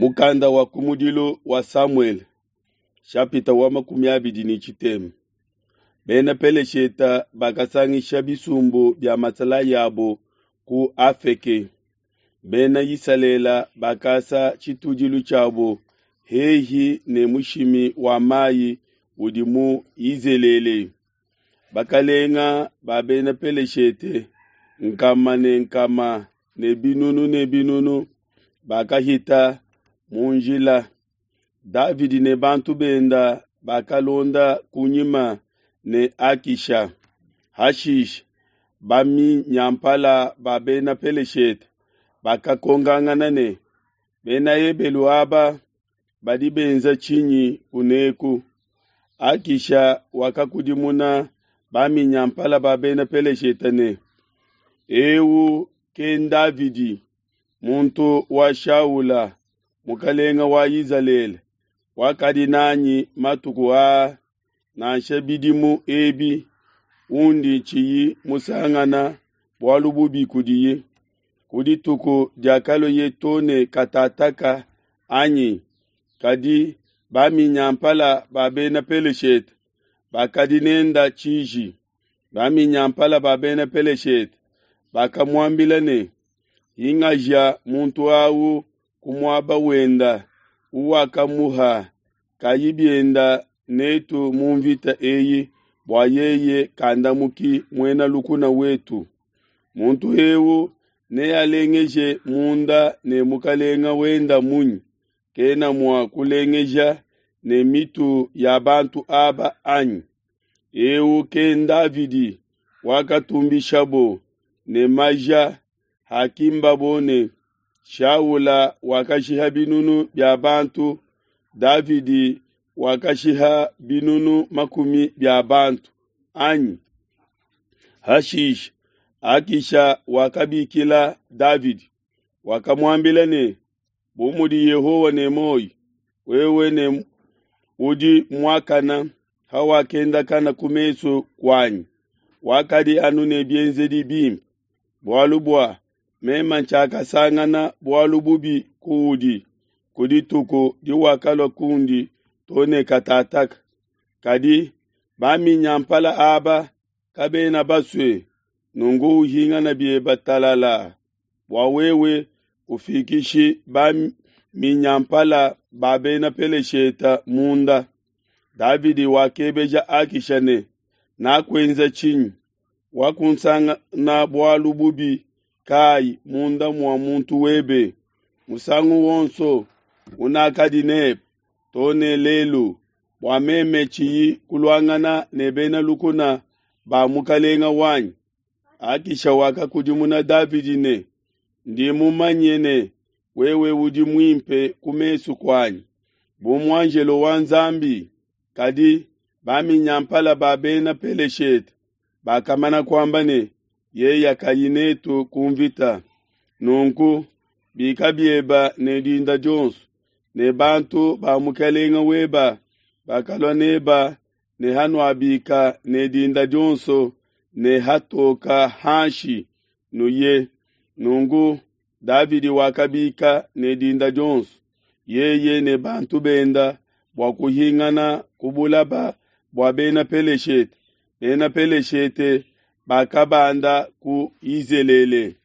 Mukanda wa kumudilu wa Samuele, shapita wa 23. Bena Pelesheta bakasangisha bisumbu bia masalayi abo ku Afeke. Bena Isalele bakasa tshitudilu tshiabo hehi ne mushimi wa mayi udi mu Yizelele. Bakalenga ba Bena Peleshete nkama ne nkama ne binunu ne binunu bakahita mu njila. Davidi ne bantu benda bakalonda kunyima ne Akisha. Hashishe baminyampala ba Bena Peleshete bakakongangana ne, Bena Ebelu aba badi benza tshinyi kuneku? Akisha wakakudimuna baminyampala ba Bena Peleshete ne, Eu ke Davidi, muntu wa Shaula, mukalenga wa Izalele, wakadi nanyi matuku aa nansha bidimu ebi, undi tshiyi musangana bualu bubi kudiye. Ku dituku diakalueye to ne katataka anyi? Kadi baminyampala ba Bena Peleshete bakadi nenda tshiji. Baminyampala ba Bena Peleshete bakamuambila ne, Hingaja muntu awu ku muaba wenda uwakamuha, kayi bienda netu mu mvita eyi bua yeye kandamuki muena lukuna wetu. Muntu eu nealengeje munda ne mukalenga wenda munyi? Kena mua kulengeja ne mitu ya bantu aba anyi? Eu ke Davidi wakatumbishabo ne maja hakimbabo ne, Shaula wakashiha binunu bia bantu, Davidi wakashiha binunu makumi bia bantu, anyi? Hashishe Akisha wakabikila Davidi, wakamuambila ne, Bu mudi Yehowa ne muoyo, wewe ne udi muakana hawakendakana ku mesu kuanyi, wakadi anu ne bienzedi bimpe, bualu bua meme tshiakasangana bualu bubi kuudi ku dituku diwakalua kundi to ne katataka. Kadi baminyampala aba kabena basue, nunku uhingana biebe talala, bua wewe kufikishi baminyampala ba Bena Peleshete munda. Davidi wakebeja Akisha ne, Nakuenza tshinyi? Wakunsangana bualu bubi kayi munda mua muntu webe? Musangu wonso unakadi nebe to ne lelu, bua meme tshiyi kuluangana ne bena lukuna ba mukalenga wanyi. Akisha wakakudimuna Davidi ne, Ndi mumanye ne, wewe udi muimpe ku mesu kuanyi, bu muanjelo wa Nzambi. Kadi baminyampala ba Bena Peleshete bakamana kuamba ne, Yeye kayi netu ku mvita. Nunku bika bieba ne dinda dionso, ne bantu ba mukalenga weba bakalua neba, ne hanuabika ne dinda dionso ne hatoka hanshi, nuye. Nunku Davidi wakabika ne dinda dionso, yeye ne bantu benda, bua kuhingana ku bulaba bua Bena Peleshete. Bena Peleshete bakabanda ku Yizelele.